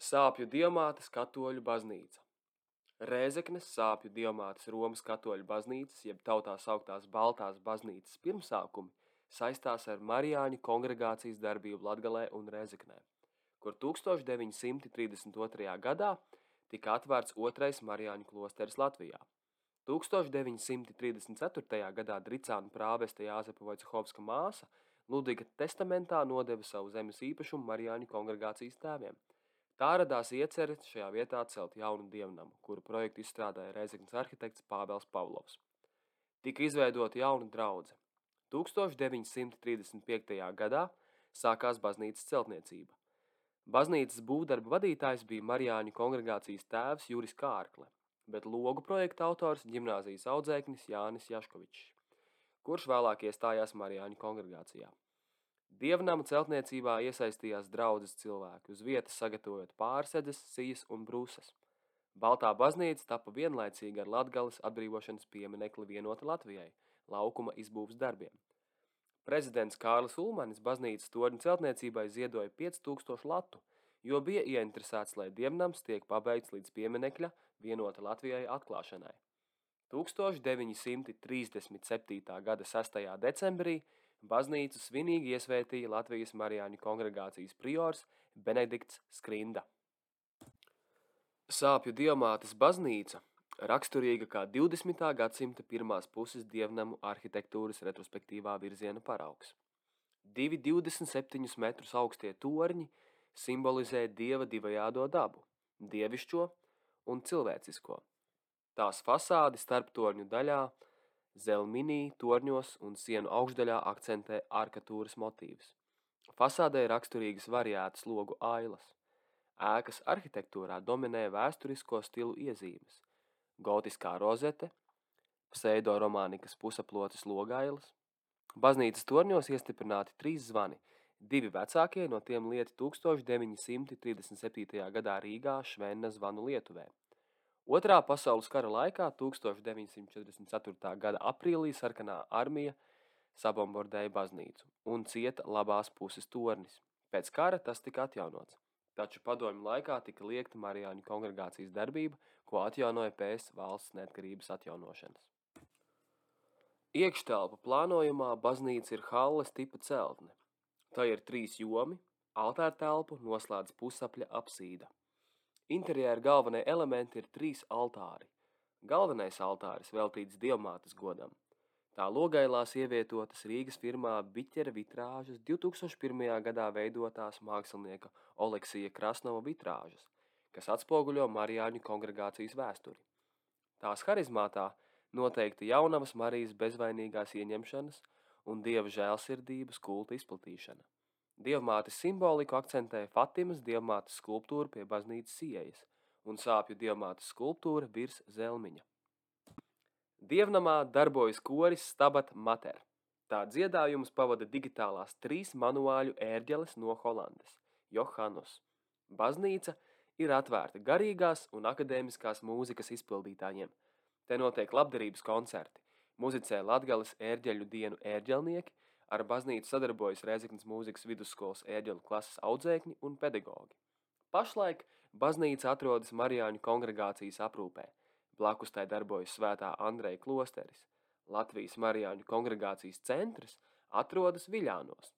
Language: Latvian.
Sāpju Dievmātes katoļu baznīca. Rēzeknes Sāpju Dievmātes Romas katoļu baznīcas, jeb tautā sauktās Baltās baznīcas pirmsākumi saistās ar Marijāņu kongregācijas darbību Latgalē un Rēzeknē, kur 1932. gadā tika atvērts otrais Marijāņu klosteris Latvijā. 1934. gadā Dricānu prāvesta Jāzepa Vojcehovska māsa Ludviga testamentā nodeva savu zemes īpašumu Marijāņu kongregācijas tēviem. Tā radās iecere šajā vietā celt jaunu dievnamu, kuru projektu izstrādāja Rēzeknes arhitekts Pāvels Pavlovs. Tika izveidota jauna draudze. 1935. gadā sākās baznīcas celtniecība. Baznīcas būvdarba vadītājs bija Marijāņu kongregācijas tēvs Juris Kārkle, bet logu projekta autors ģimnāzijas audzēknis Jānis Jaškovičs, kurš vēlāk iestājās Marijāņu kongregācijā. Dievnama celtniecībā iesaistījās draudzes cilvēki, uz vietas sagatavojot pārsedzes, sijas un brūses. Baltā baznīca tapa vienlaicīgi ar Latgales atbrīvošanas pieminekli Vienota Latvijai laukuma izbūves darbiem. Prezidents Kārlis Ulmanis baznīcas torņa celtniecībai ziedoja 5000 latu, jo bija ieinteresēts, lai dievnams tiek pabeigts līdz pieminekļa Vienota Latvijai atklāšanai. 1937. gada 6. decembrī baznīcu svinīgi iesvētīja Latvijas Marijāņu kongregācijas priors Benedikts Skrinda. Sāpju Dievmātes baznīca raksturīga kā 20. gadsimta pirmās puses dievnamu arhitektūras retrospektīvā virziena paraugs. Divi 27 metrus augstie torņi simbolizē Dieva divajādo dabu, dievišķo un cilvēcisko. Tās fasādi starp torņu daļā, zelminī, torņos un sienu augšdaļā akcentē arkatūras motīvs. Fasādē raksturīgas variētas logu ailas. Ēkas arhitektūrā dominē vēsturisko stilu iezīmes, gotiskā rozete, pseidoromānikas pusaplotes logailas. Baznīcas torņos iestiprināti 3 zvani, 2 vecākie no tiem lieti 1937. gadā Rīgā Švenna zvanu Lietuvē. Otrā pasaules kara laikā 1944. gada aprīlī sarkanā armija sabombardēja baznīcu un cieta labās puses tornis. Pēc kara tas tika atjaunots, taču padomju laikā tika liegta Marijāņu kongregācijas darbība, ko atjaunoja pēc valsts neatkarības atjaunošanas. Iekštelpu plānojumā baznīca ir halles tipa celtne. Tā ir 3 jomi, altārtelpu noslēdz pusapļa apsīda. Interjēra galvenie elementi ir 3 altāri. Galvenais altāris veltīts Dievmātes godam. Tā logailās ievietotas Rīgas firmā Biķera vitrāžas 2001. gadā veidotās mākslinieka Oleksija Krasnova vitrāžas, kas atspoguļo Marijāņu kongregācijas vēsturi. Tās harizmātā noteikti Jaunavas Marijas bezvainīgās ieņemšanas un Dieva žēlsirdības kulta izplatīšana. Dievmātes simboliku akcentē Fatimas Dievmātes skulptūra pie baznīcas ieejas un Sāpju Dievmātes skulptūra virs zelmiņa. Dievnamā darbojas koris Stabat Mater. Tā dziedājumus pavada digitālās 3 manuāļu ērģeles no Holandes, Johannus. Baznīca ir atvērta garīgās un akadēmiskās mūzikas izpildītājiem. Te notiek labdarības koncerti, muzicē Latgales ērģeļu dienu ērģelnieki, ar baznīcu sadarbojas Rēzeknes mūzikas vidusskolas ērģeļu klases audzēkņi un pedagogi. Pašlaik baznīca atrodas Marijāņu kongregācijas aprūpē. Blakus tai darbojas Svētā Andreja klosteris. Latvijas Marijāņu kongregācijas centrs atrodas Viļānos.